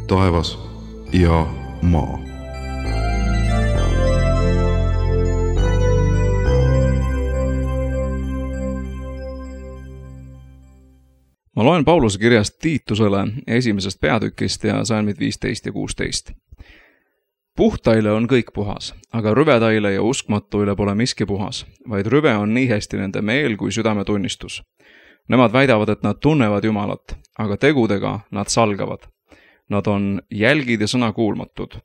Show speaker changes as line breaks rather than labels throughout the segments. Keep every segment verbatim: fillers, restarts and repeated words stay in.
taevas ja maa.
Ma loen Pauluse kirjast Tiitusele esimesest peatükist ja salmid viisteist ja kuusteist. Puhtaile on kõik puhas, aga rüvedaile ja uskmatuile pole miski puhas, vaid rüve on nii hästi nende meel kui südametunnistus. Nemad väidavad, et nad tunnevad Jumalat, aga tegudega nad salgavad. Nad on jälgid ja sõnakuulmatud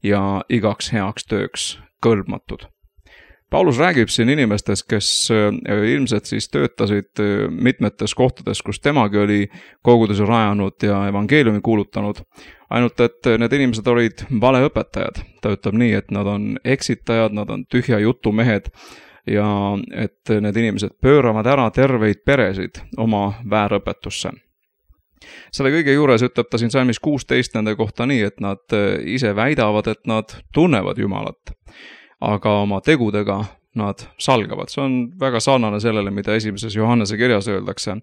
ja igaks heaks tööks kõlbmatud. Paulus räägib siin inimestest, kes ilmselt siis töötasid mitmetes kohtades, kus temagi oli koguduse rajanud ja evangeeliumi kuulutanud. Ainult, et need inimesed olid valeõpetajad. Ta ütleb nii, et nad on eksitajad, nad on tühja jutumehed ja et need inimesed pööravad ära terveid peresid oma väärõpetusse. Selle kõige juures ütleb ta siin salmis kuusteist nende kohta nii, et nad ise väidavad, et nad tunnevad Jumalat, aga oma tegudega nad salgavad. See on väga sarnane sellele, mida esimeses Johannese kirjas öeldakse,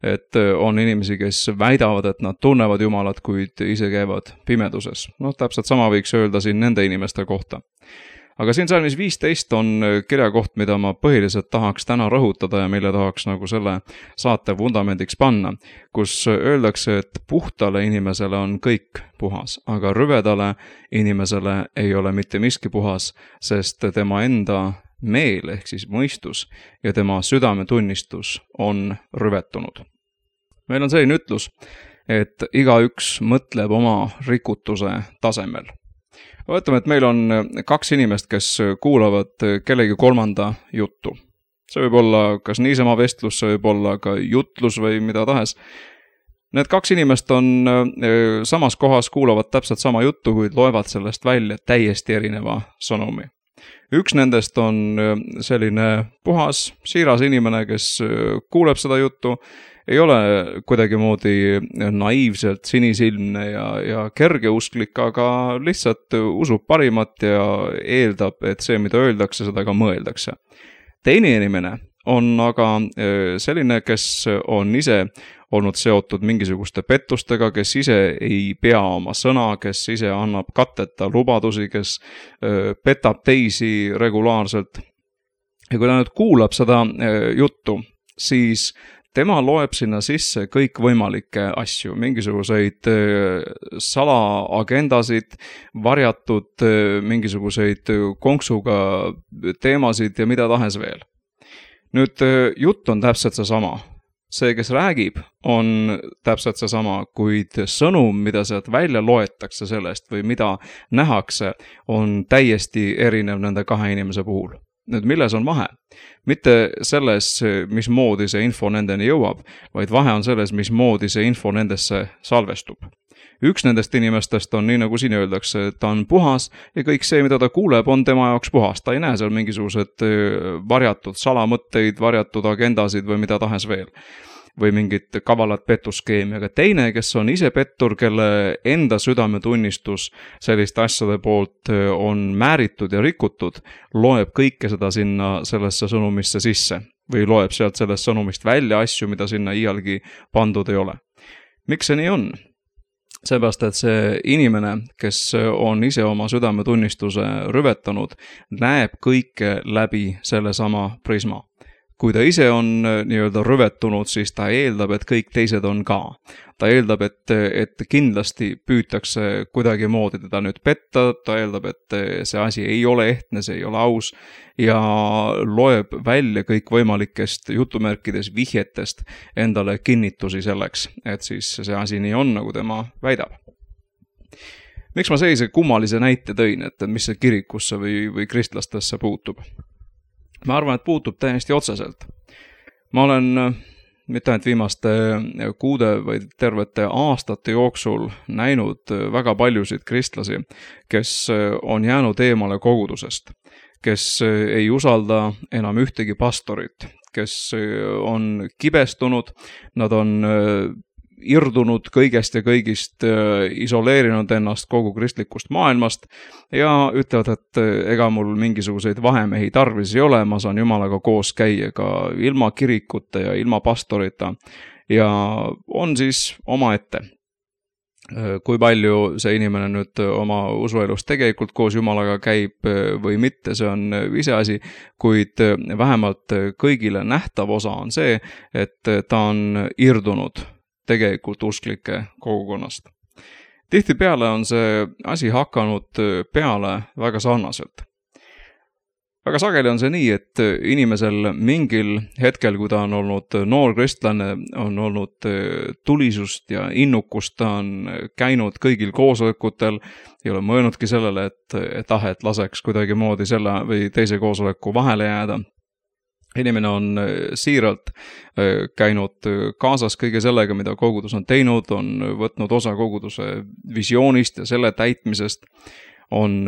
et on inimesi, kes väidavad, et nad tunnevad Jumalat, kuid ise käivad pimeduses. No täpselt sama võiks öelda siin nende inimeste kohta. Aga siin salmis viisteist on kirjakoht, mida ma põhiliselt tahaks täna rõhutada ja mille tahaks nagu selle saate vundamendiks panna, kus öeldakse, et puhtale inimesele on kõik puhas, aga rüvedale inimesele ei ole mitte miski puhas, sest tema enda meel ehk siis mõistus ja tema südametunnistus on rüvetunud. Meil on selline ütlus, et igaüks mõtleb oma rikutuse tasemel. Võtame, et meil on kaks inimest, kes kuulavad kellegi kolmanda juttu. See võib olla kas niisama vestlus, see võib olla ka jutlus või mida tahes. Need kaks inimest on samas kohas, kuulavad täpselt sama juttu, kuid loevad sellest välja täiesti erineva sõnumi. Üks nendest on selline puhas, siiras inimene, kes kuuleb seda juttu, ei ole kuidagi moodi naiivselt sinisilmne ja, ja kergeusklik, aga lihtsalt usub parimat ja eeldab, et see, mida öeldakse, seda ka mõeldakse. Teine inimene on aga selline, kes on ise olnud seotud mingisuguste pettustega, kes ise ei pea oma sõna, kes ise annab katteta lubadusi, kes petab teisi regulaarselt. Ja kui ta nüüd kuulab seda juttu, siis tema loeb sinna sisse kõik võimalikke asju, mingisuguseid salaagendasid, varjatud mingisuguseid konksuga teemasid ja mida tahes veel. Nüüd jutt on täpselt see sama. See, kes räägib, on täpselt see sama, kuid sõnum, mida sealt välja loetakse sellest või mida nähakse, on täiesti erinev nende kahe inimese puhul. Nüüd, milles on vahe? Mitte selles, mismoodi see info nendeni jõuab, vaid vahe on selles, mismoodi see info nendesse salvestub. Üks nendest inimestest on, nii nagu siin öeldakse, ta on puhas ja kõik see, mida ta kuuleb, on tema jaoks puhas. Ta ei näe seal mingisugused varjatud salamõtteid, varjatud agendasid või mida tahes veel. Või mingit kavalat petuskeemi, aga teine, kes on ise pettur, kelle enda südametunnistus selliste asjade poolt on määritud ja rikutud, loeb kõike seda sinna sellesse sõnumisse sisse või loeb sealt sellest sõnumist välja asju, mida sinna iialgi pandud ei ole. Miks see nii on? Seepärast, et see inimene, kes on ise oma südametunnistuse rüvetanud, näeb kõike läbi selle sama prisma. Kui ta ise on nii-öelda rüvetunud, siis ta eeldab, et kõik teised on ka. Ta eeldab, et, et kindlasti püütakse kuidagi moodi teda nüüd petta, ta eeldab, et see asi ei ole ehtne, see ei ole aus ja loeb välja kõik võimalikest jutumärkides vihjetest endale kinnitusi selleks, et siis see asi nii on, nagu tema väidab. Miks ma sellise kummalise näite tõin, et mis see kirikusse või, või kristlastesse puutub? Ma arvan, et puutub täiesti otseselt. Ma olen mitte ainult viimaste kuude või tervete aastate jooksul näinud väga paljusid kristlasi, kes on jäänud eemale kogudusest, kes ei usalda enam ühtegi pastorit, kes on kibestunud, nad on irdunud kõigest ja kõigist, isoleerinud ennast kogu kristlikust maailmast ja ütlevad, et ega mul mingisuguseid vahemehi tarvis ei ole, ma saan Jumalaga koos käia ka ilma kirikuta ja ilma pastorita ja on siis omaette. kui palju see inimene nüüd oma usuelus tegelikult koos Jumalaga käib või mitte, see on iseasi, kuid vähemalt kõigile nähtav osa on see, et ta on irdunud tegelikult usklike kogukonnast. Tihtipeale on see asi hakanud peale väga sarnaselt. Väga sageli on see nii, et inimesel mingil hetkel, kui ta on olnud noor kristlane, on olnud tulisust ja innukust, ta on käinud kõigil koosolekutel, ei ole mõelnudki sellele, et, et ah, et laseks kuidagi moodi selle või teise koosoleku vahele jääda. Inimene on siiralt käinud kaasas kõige sellega, mida kogudus on teinud, on võtnud osa koguduse visioonist ja selle täitmisest, on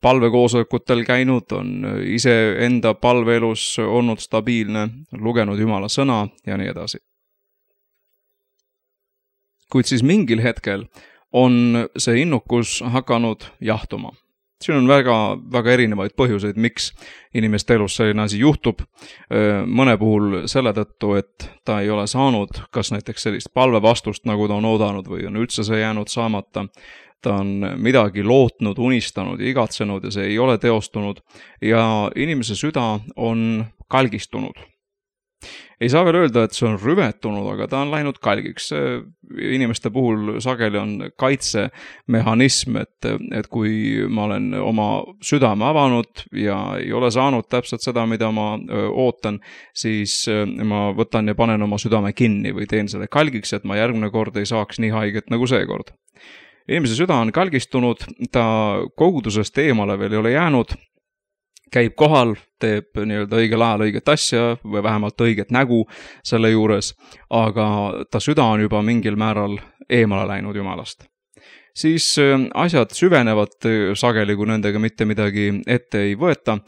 palvekoosolekutel käinud, on ise enda palveelus olnud stabiilne, lugenud Jumala sõna ja nii edasi. Kuid siis mingil hetkel on see innukus hakanud jahtuma. Siin on väga, väga erinevaid põhjuseid, miks inimeste elus selline asi juhtub. Mõne puhul selle tõttu, et ta ei ole saanud kas näiteks sellist palvevastust, nagu ta on oodanud või on üldse see jäänud saamata. Ta on midagi lootnud, unistanud ja igatsenud ja see ei ole teostunud ja inimese süda on kalgistunud. Ei saa veel öelda, et see on rüvetunud, aga ta on läinud kalgiks. Inimeste puhul sageli on kaitsemehhanism, et, et kui ma olen oma südame avanud ja ei ole saanud täpselt seda, mida ma ootan, siis ma võtan ja panen oma südame kinni või teen selle kalgiks, et ma järgmine kord ei saaks nii haiget nagu seekord. Inimese süda on kalgistunud, ta kogudusest eemale veel ei ole jäänud, käib kohal, teeb nii-öelda õigel ajal õiget asja või vähemalt õiget nägu selle juures, aga ta süda on juba mingil määral eemale läinud Jumalast. Siis asjad süvenevad sageli, kui nendega mitte midagi ette ei võeta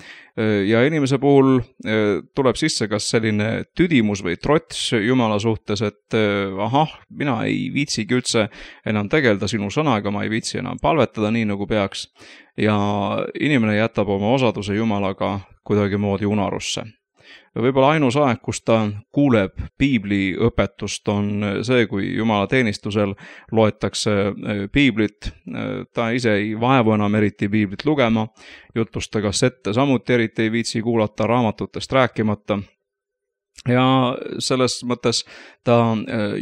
ja inimese puhul tuleb sisse kas selline tüdimus või trots Jumala suhtes, et ahah, mina ei viitsigi üldse enam tegelda sinu sõnaga, ma ei viitsi enam palvetada nii nagu peaks ja inimene jätab oma osaduse Jumalaga kuidagi moodi unarusse. Võib-olla ainus aeg, kus ta kuuleb piibli õpetust, on see, kui Jumala teenistusel loetakse piiblit. Ta ise ei vaevu enam eriti piiblit lugema, jutluste kassette samuti eriti ei viitsi kuulata, raamatutest rääkimata. Ja selles mõttes ta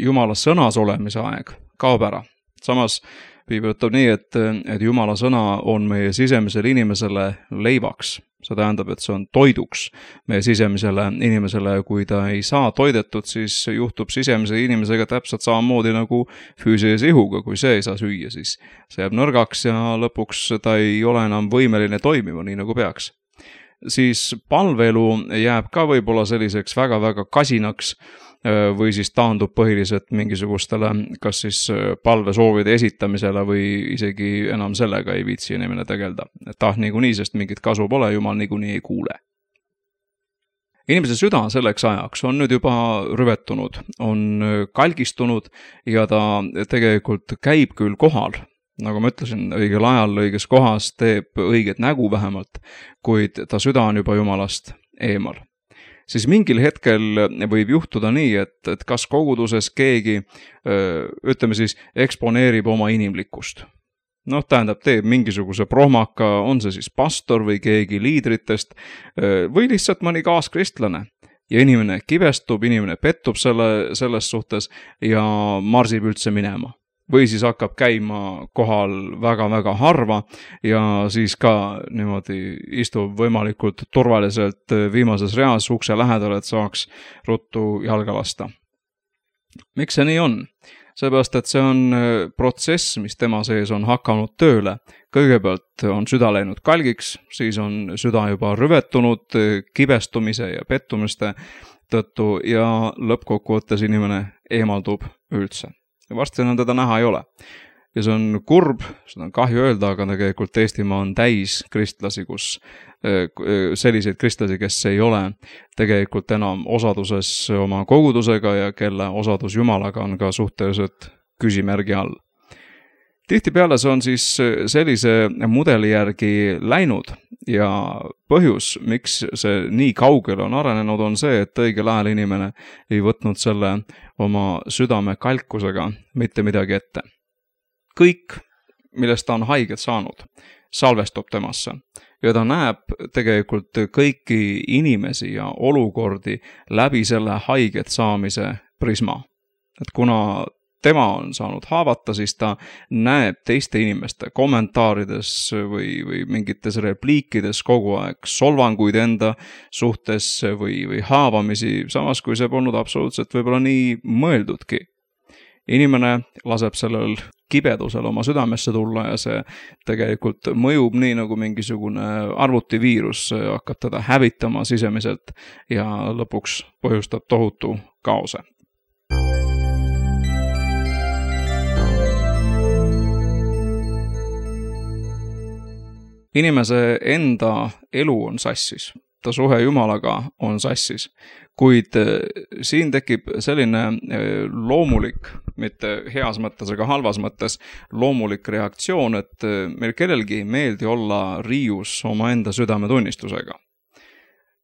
Jumala sõnas olemise aeg kaob ära. Samas piibel ütleb nii, et, et Jumala sõna on meie sisemisele inimesele leivaks. See tähendab, et see on toiduks meie sisemisele inimesele. Kui ta ei saa toidetud, siis juhtub sisemise inimesega täpselt samamoodi nagu füüsilise ihuga. Kui see ei saa süüa, siis see jääb nõrgaks ja lõpuks ta ei ole enam võimeline toimima nii nagu peaks. Siis palveelu jääb ka võib-olla selliseks väga-väga kasinaks või siis taandub põhiliselt mingisugustele kas siis palvesoovide esitamisele või isegi enam sellega ei viitsi inimene tegelda. Et ah, niikuinii, sest mingit kasu pole, Jumal niikuinii ei kuule. Inimese süda selleks ajaks on nüüd juba rüvetunud, on kalgistunud ja ta tegelikult käib küll kohal. Nagu ma ütlesin, õigel ajal, õiges kohas teeb õiget nägu vähemalt, kuid ta süda on juba Jumalast eemal. Siis mingil hetkel võib juhtuda nii, et, et kas koguduses keegi, ütleme siis, eksponeerib oma inimlikkust. Noh, tähendab, teeb mingisuguse prohmaka, on see siis pastor või keegi liidritest või lihtsalt mõni kaaskristlane. Ja inimene kibestub, inimene pettub selle, selles suhtes ja marsib üldse minema. Või siis hakkab käima kohal väga-väga harva ja siis ka niimoodi istub võimalikult turvaliselt viimases reas ukse lähedal, et saaks ruttu jalga lasta. Miks see nii on? Seepärast, et see on protsess, mis tema sees on hakanud tööle. Kõigepealt on süda läinud kalgiks, siis on süda juba rüvetunud kibestumise ja pettumiste tõttu ja lõppkokkuvõttes inimene eemaldub üldse. Ja varsti enam teda näha ei ole. Ja see on kurb, seda on kahju öelda, aga tegelikult Eestimaa on täis kristlasi, kus selliseid kristlasi, kes ei ole tegelikult enam osaduses oma kogudusega ja kelle osadus Jumalaga on ka suhteliselt küsimärgi all. Tihtipeale see on siis sellise mudeli järgi läinud ja põhjus, miks see nii kaugele on arenenud, on see, et õigel ajal inimene ei võtnud selle oma südame kalkusega mitte midagi ette. kõik, millest ta on haiget saanud, salvestub temasse. Ja ta näeb tegelikult kõiki inimesi ja olukordi läbi selle haiget saamise prisma. Et kuna tema on saanud haavata, siis ta näeb teiste inimeste kommentaarides või, või mingites repliikides kogu aeg solvanguid enda suhtes või, või haavamisi, samas kui see polnud absoluutselt võib-olla nii mõeldudki. Inimene laseb sellel kibedusel oma südamesse tulla ja see tegelikult mõjub nii nagu mingisugune arvutiviirus, hakkab teda hävitama sisemiselt ja lõpuks põhjustab tohutu kaose. Inimese enda elu on sassis, ta suhe Jumalaga on sassis, kuid siin tekib selline loomulik, mitte heas mõttes ega halvas mõttes, loomulik reaktsioon, et meil kellelgi ei meeldi olla riius oma enda südametunnistusega.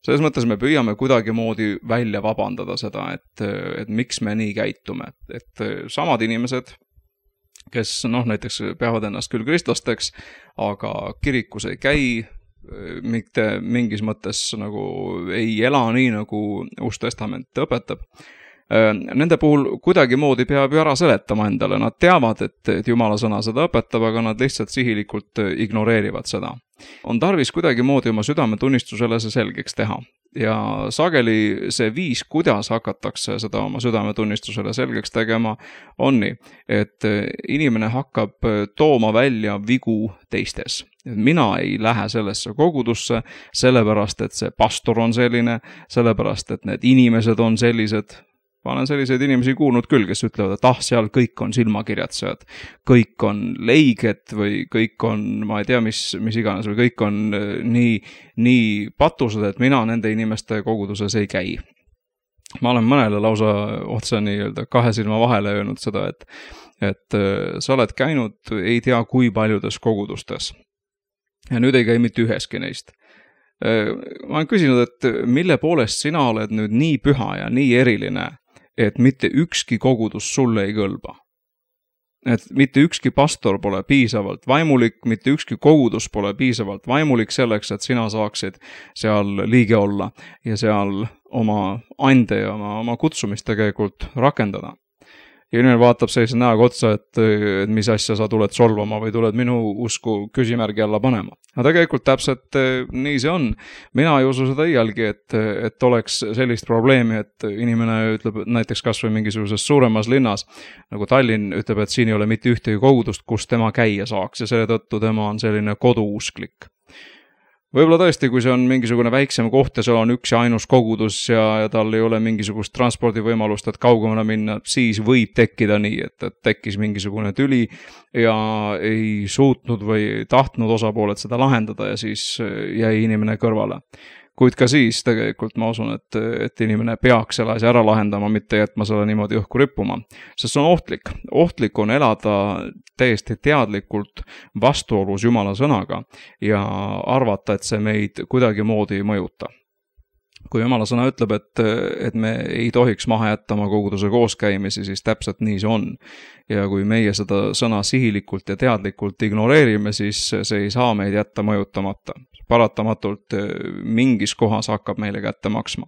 Selles mõttes me püüame kuidagimoodi välja vabandada seda, et, et miks me nii käitume, et samad inimesed, kes noh, näiteks peavad ennast küll kristlasteks, aga kirikus ei käi, mitte mingis mõttes nagu ei ela nii, nagu Uus Testament õpetab. Nende puhul kuidagimoodi peab ju ära seletama endale, nad teavad, et, et Jumala sõna seda õpetab, aga nad lihtsalt sihilikult ignoreerivad seda. On tarvis kuidagimoodi oma südametunnistusele see selgeks teha. Ja sageli see viis, kuidas hakatakse seda oma südametunnistusele selgeks tegema, on nii, et inimene hakkab tooma välja vigu teistes. Mina ei lähe sellesse kogudusse, sellepärast, et see pastor on selline, sellepärast, et need inimesed on sellised. Ma olen selliseid inimesi kuulnud küll, kes ütlevad, et ah, seal kõik on silmakirjatsejad, kõik on leiged või kõik on, ma ei tea, mis, mis iganes, või kõik on nii, nii patused, et mina nende inimeste koguduses ei käi. Ma olen mõnele lausa otsa nii-öelda kahe silma vahele öelnud seda, et, et sa oled käinud ei tea kui paljudes kogudustes. Ja nüüd ei käi mitte üheski neist. Ma olen küsinud, et mille poolest sina oled nüüd nii püha ja nii eriline, et mitte ükski kogudus sulle ei kõlba. Et mitte ükski pastor pole piisavalt vaimulik, mitte ükski kogudus pole piisavalt vaimulik selleks, et sina saaksid seal liige olla ja seal oma ande ja oma, oma kutsumist tegelikult rakendada. Ja inimene vaatab sellise näoga otsa, et, et mis asja sa tuled solvama või tuled minu usku küsimärgi alla panema. Ja tegelikult täpselt nii see on. Mina ei usu seda iialgi, et, et oleks sellist probleemi, et inimene ütleb näiteks kas või mingisuguses suuremas linnas, nagu Tallinn ütleb, et siin ei ole mitte ühtegi kogudust, kus tema käia saaks ja selle tõttu tema on selline koduusklik. Võib-olla tõesti, kui see on mingisugune väiksem koht ja seal on üks ja ainus kogudus ja, ja tal ei ole mingisugust transpordivõimalust, et kaugemale minna, siis võib tekkida nii, et, et tekkis mingisugune tüli ja ei suutnud või tahtnud osapooled seda lahendada ja siis jäi inimene kõrvale. Kuid ka siis tegelikult ma usun, et, et inimene peaks selle asja ära lahendama, mitte jätma selle niimoodi õhku rippuma. Sest see on ohtlik. Ohtlik on elada täiesti teadlikult vastuolus Jumala sõnaga ja arvata, et see meid kuidagimoodi ei mõjuta. Kui Jumala sõna ütleb, et, et me ei tohiks maha jätta oma koguduse kooskäimisi, siis täpselt nii see on. Ja kui meie seda sõna sihilikult ja teadlikult ignoreerime, siis see ei saa meid jätta mõjutamata. Paratamatult mingis kohas hakkab meile kätte maksma.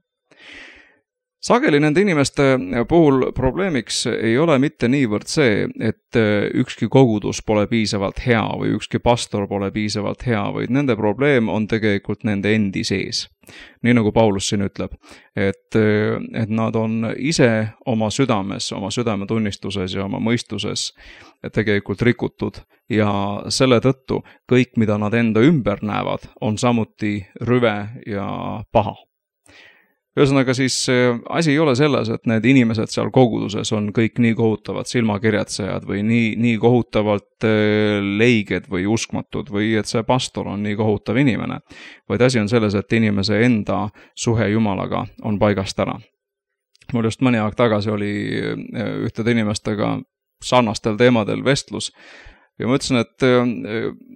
Sageli nende inimeste puhul probleemiks ei ole mitte niivõrd see, et ükski kogudus pole piisavalt hea või ükski pastor pole piisavalt hea, vaid nende probleem on tegelikult nende endi sees. Nii nagu Paulus siin ütleb, et, et nad on ise oma südames, oma südametunnistuses ja oma mõistuses tegelikult rikutud ja selle tõttu kõik, mida nad enda ümber näevad, on samuti rüve ja paha. Ühesõnaga siis asi ei ole selles, et need inimesed seal koguduses on kõik nii kohutavad silmakirjatsejad või nii, nii kohutavalt leiged või uskmatud või et see pastor on nii kohutav inimene, vaid asi on selles, et inimese enda suhe Jumalaga on paigast ära. Mul just mõni aeg tagasi oli ühtede inimestega sarnastel teemadel vestlus ja ma ütlesin, et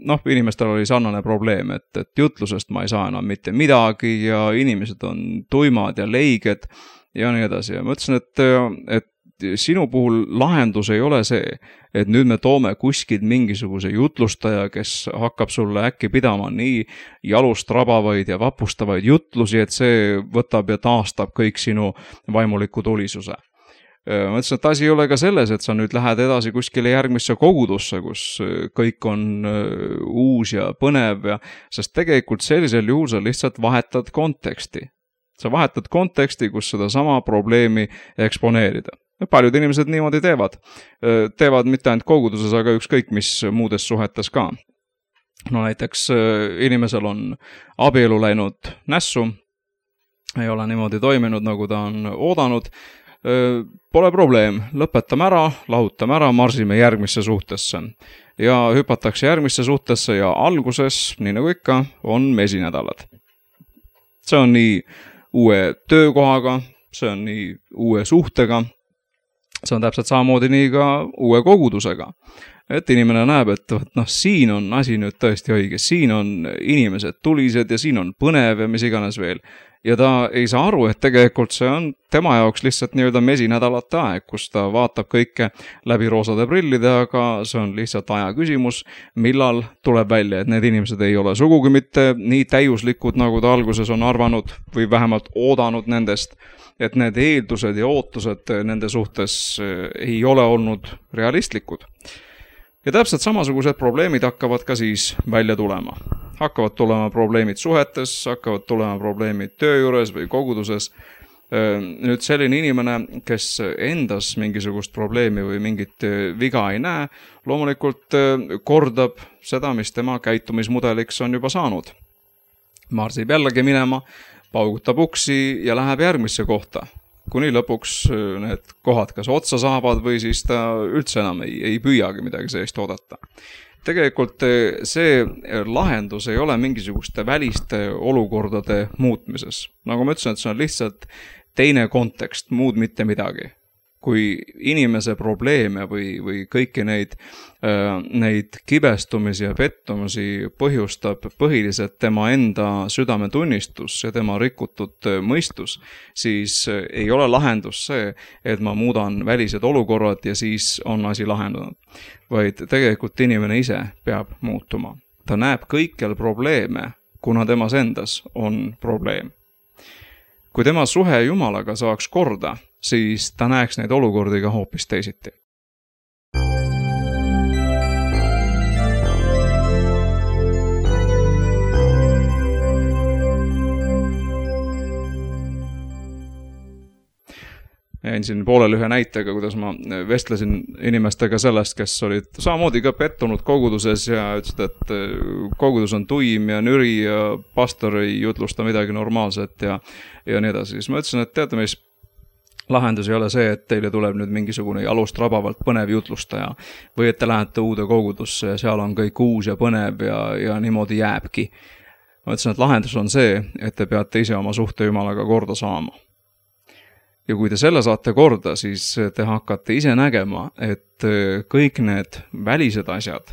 noh, inimestel oli sarnane probleem, et, et jutlusest ma ei saa enam mitte midagi ja inimesed on tuimad ja leiged ja nii edasi. Ja ma ütlesin, et, et sinu puhul lahendus ei ole see, et nüüd me toome kuskilt mingisuguse jutlustaja, kes hakkab sulle äkki pidama nii jalust rabavaid ja vapustavaid jutlusi, et see võtab ja taastab kõik sinu vaimuliku tulisuse. Ma ütlesin, et asi ei ole ka selles, et sa nüüd lähed edasi kuskile järgmisse kogudusse, kus kõik on uus ja põnev, ja, sest tegelikult sellisel juhul sa lihtsalt vahetad konteksti. Sa vahetad konteksti, kus seda sama probleemi eksponeerida. Paljud inimesed niimoodi teevad. Teevad mitte ainult koguduses, aga ükskõik mis muudes suhetes ka. No näiteks inimesel on abielu läinud nässu, ei ole niimoodi toiminud, nagu ta on oodanud. Pole probleem, lõpetame ära, lahutame ära, marsime järgmisse suhtesse. Ja hüpatakse järgmisse suhtesse ja alguses, nii nagu ikka, on mesinädalad. See on nii uue töökohaga, see on nii uue suhtega, see on täpselt samamoodi nii ka uue kogudusega. Et inimene näeb, et noh, siin on asi nüüd tõesti õige, siin on inimesed tulised ja siin on põnev ja mis iganes veel. Ja ta ei saa aru, et tegelikult see on tema jaoks lihtsalt nii-öelda mesinädalate aeg, kus ta vaatab kõike läbi roosade prillide, aga see on lihtsalt aja küsimus, millal tuleb välja, et need inimesed ei ole sugugi mitte nii täiuslikud, nagu ta alguses on arvanud või vähemalt oodanud nendest, et need eeldused ja ootused nende suhtes ei ole olnud realistlikud. Ja täpselt samasugused probleemid hakkavad ka siis välja tulema. Hakkavad tulema probleemid suhetes, hakkavad tulema probleemid töö juures või koguduses. Nüüd selline inimene, kes endas mingisugust probleemi või mingit viga ei näe, loomulikult kordab seda, mis tema käitumismudeliks on juba saanud. Marsib jällegi minema, paugutab uksi ja läheb järgmisse kohta. Kuni lõpuks need kohad kas otsa saavad või siis ta üldse enam ei, ei püüagi midagi sellist oodata. Tegelikult see lahendus ei ole mingisuguste väliste olukordade muutmises. Nagu ma ütlesin, et see on lihtsalt teine kontekst, muud mitte midagi. Kui inimese probleeme või, või kõiki neid, neid kibestumisi ja pettumusi põhjustab põhiliselt tema enda südametunnistus ja tema rikutud mõistus, siis ei ole lahendus see, et ma muudan välised olukorrad ja siis on asi lahendunud. Vaid tegelikult inimene ise peab muutuma. Ta näeb kõikjal probleeme, kuna temas endas on probleem. Kui tema suhe Jumalaga saaks korda, siis ta näeks neid olukordi ka hoopis teisiti. Jäin siin poolel ühe näitega, kuidas ma vestlesin inimestega sellest, kes olid samamoodi ka pettunud koguduses ja ütlesid, et kogudus on tuim ja nüri ja pastor ei jutlusta midagi normaalset ja, ja nii edasi. Siis ma ütlesin, et teate mis, lahendus ei ole see, et teile tuleb nüüd mingisugune jalust rabavalt põnev jutlustaja või et te lähete uude kogudusse ja seal on kõik uus ja põnev ja, ja niimoodi jääbki. Ma ütlesin, et lahendus on see, et te peate ise oma suhte Jumalaga korda saama. Ja kui te selle saate korda, siis te hakkate ise nägema, et kõik need välised asjad,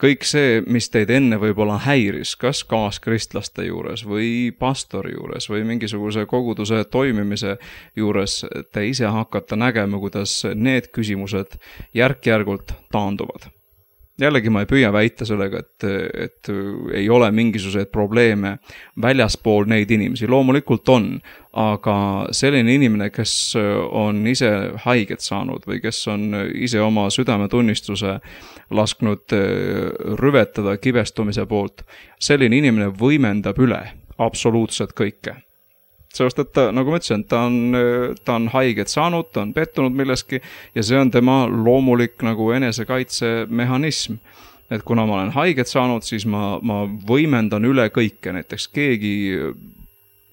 kõik see, mis teid enne võib-olla häiris, kas kaaskristlaste juures või pastori juures või mingisuguse koguduse toimimise juures, te ise hakkate nägema, kuidas need küsimused järk-järgult taanduvad. Jällegi ma ei püüa väita sellega, et, et ei ole mingisuguseid probleeme väljaspool neid inimesi. Loomulikult on, aga selline inimene, kes on ise haiget saanud või kes on ise oma südametunnistuse lasknud rüvetada kibestumise poolt, selline inimene võimendab üle absoluutselt kõike. Sellest, et ta, nagu ma ütlesin, ta on, ta on haiget saanud, ta on pettunud milleski ja see on tema loomulik nagu enesekaitsemehhanism. Et kuna ma olen haiget saanud, siis ma, ma võimendan üle kõike. Näiteks keegi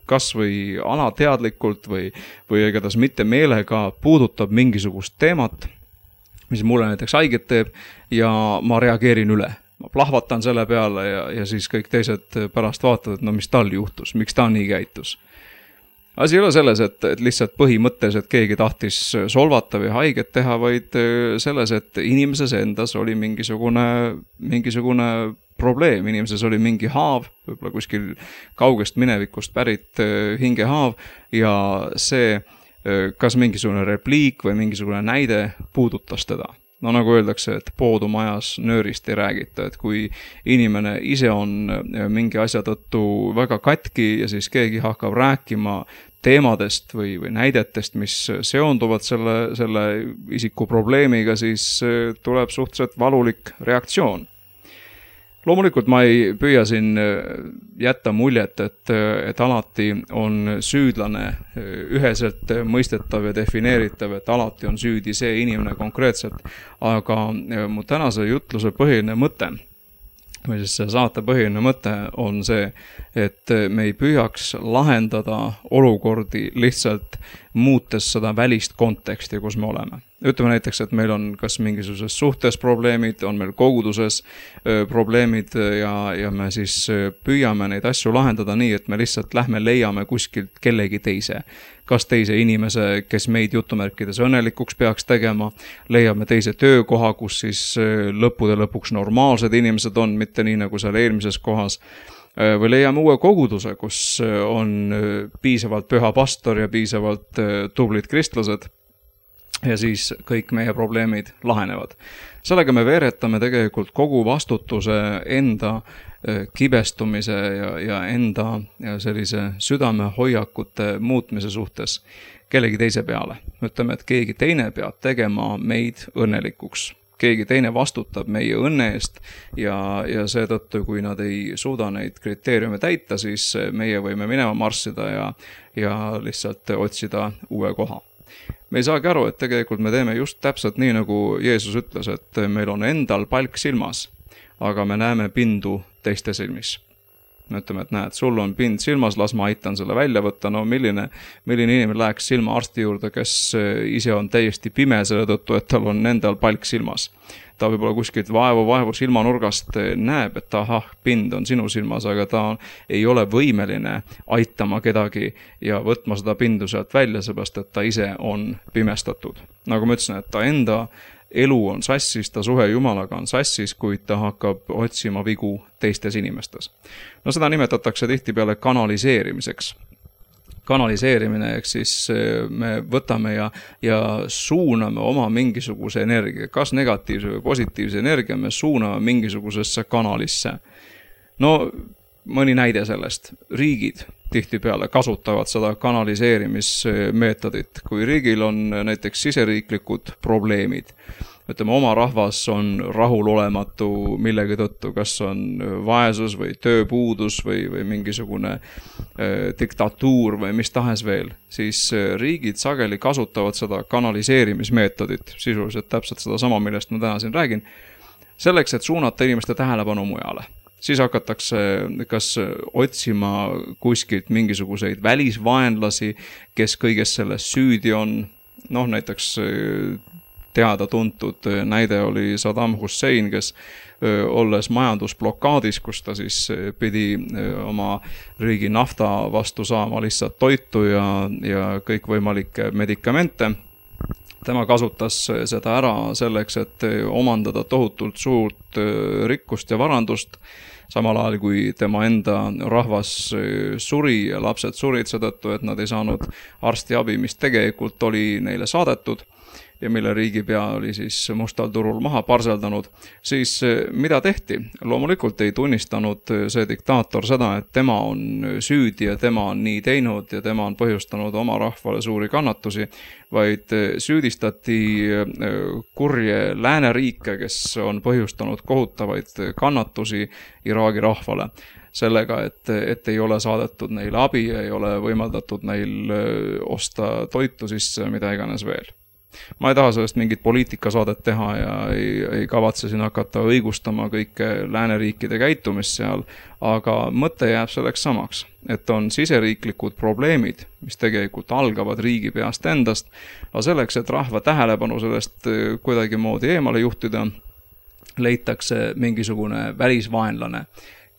kas või alateadlikult või, või igatahes mitte meelega puudutab mingisugust teemat, mis mulle näiteks haiget teeb ja ma reageerin üle. Ma plahvatan selle peale ja, ja siis kõik teised pärast vaatavad, et no mis tal juhtus, miks ta nii käitus. Asi ei ole selles, et, et lihtsalt põhimõttes, et keegi tahtis solvata või haiget teha, vaid selles, et inimeses endas oli mingisugune, mingisugune probleem. Inimeses oli mingi haav, võib-olla kuskil kaugest minevikust pärit hingehaav ja see kas mingisugune repliik või mingisugune näide puudutas teda. No nagu öeldakse, et poodumajas nöörist ei räägita, et kui inimene ise on mingi asja tõttu väga katki ja siis keegi hakkab rääkima teemadest või, või näidetest, mis seonduvad selle, selle isiku probleemiga, siis tuleb suhteliselt valulik reaktsioon. Loomulikult ma ei püüa siin jätta muljet, et, et alati on süüdlane üheselt mõistetav ja defineeritav, et alati on süüdi see inimene konkreetselt, aga mu tänase jutluse põhiline mõte või siis see saate põhiline mõte on see, et me ei püüaks lahendada olukordi lihtsalt muutes seda välist konteksti, kus me oleme. Ütleme näiteks, et meil on kas mingisuguses suhtes probleemid, on meil koguduses probleemid ja, ja me siis püüame neid asju lahendada nii, et me lihtsalt lähme leiame kuskilt kellegi teise. Kas teise inimese, kes meid jutumärkides õnnelikuks peaks tegema, leiame teise töökoha, kus siis lõppude lõpuks normaalsed inimesed on, mitte nii nagu seal eelmises kohas, või leiame uue koguduse, kus on piisavalt püha pastor ja piisavalt tublid kristlased, ja siis kõik meie probleemid lahenevad. Sellega me veeretame tegelikult kogu vastutuse enda kibestumise ja, ja enda ja sellise südamehoiakute muutmise suhtes kellegi teise peale. Ütleme, et keegi teine peab tegema meid õnnelikuks. Keegi teine vastutab meie õnne eest ja, ja seetõttu, kui nad ei suuda neid kriteeriume täita, siis meie võime minema marssida ja, ja lihtsalt otsida uue koha. Me ei saagi aru, et tegelikult me teeme just täpselt nii, nagu Jeesus ütles, et meil on endal palk silmas, aga me näeme pindu teiste silmis. Me ütleme, et näed, sul on pind silmas, las ma aitan selle välja võtta. No milline, milline inimene läheks silma arsti juurde, kes ise on täiesti pime selle tõttu, et tal on endal palk silmas. Ta võib-olla kuskilt vaevu, vaevu silmanurgast näeb, et ahah, pind on sinu silmas, aga ta ei ole võimeline aitama kedagi ja võtma seda pindu sealt välja, seepärast, et ta ise on pimestatud. Nagu ma ütlesin, et ta enda elu on sassis, ta suhe Jumalaga on sassis, kuid ta hakkab otsima vigu teistes inimestes. No seda nimetatakse tihtipeale kanaliseerimiseks. Kanaliseerimine, ehk siis me võtame ja, ja suuname oma mingisuguse energia, kas negatiivse või positiivse energia, me suuname mingisugusesse kanalisse. No mõni näide sellest. Riigid tihtipeale kasutavad seda kanaliseerimismeetodit. Kui riigil on näiteks siseriiklikud probleemid, ütleme, oma rahvas on rahulolematu millegi tõttu, kas on vaesus või tööpuudus või, või mingisugune eh, diktatuur või mis tahes veel, siis riigid sageli kasutavad seda kanaliseerimismeetodit, sisuliselt täpselt seda sama, millest ma täna siin räägin, selleks, et suunata inimeste tähelepanu mujale. Siis hakatakse kas otsima kuskilt mingisuguseid välisvaenlasi, kes kõiges selles süüdi on, noh näiteks teada tuntud näide oli Saddam Hussein, kes olles majandusblokaadis, kus ta siis pidi oma riigi nafta vastu saama lihtsalt toitu ja, ja kõikvõimalikke medikamente. Tema kasutas seda ära selleks, et omandada tohutult suurt rikkust ja varandust, samal ajal kui tema enda rahvas suri ja lapsed surid seetõttu, et nad ei saanud arstiabi, mis tegelikult oli neile saadetud ja mille riigipea oli siis mustal turul maha parseldanud, siis mida tehti? Loomulikult ei tunnistanud see diktaator seda, et tema on süüdi ja tema on nii teinud ja tema on põhjustanud oma rahvale suuri kannatusi, vaid süüdistati kurje lääneriike, kes on põhjustanud kohutavaid kannatusi Iraagi rahvale. Sellega, et, et ei ole saadetud neile abi ja ei ole võimaldatud neil osta toitu sisse, mida iganes veel. Ma ei taha sellest mingit poliitikasaadet teha ja ei, ei kavatse siin hakata õigustama kõike lääneriikide käitumist seal, aga mõte jääb selleks samaks, et on siseriiklikud probleemid, mis tegelikult algavad riigi peast endast, aga selleks, et rahva tähelepanu sellest kuidagi moodi eemale juhtida, leitakse mingisugune välisvaenlane,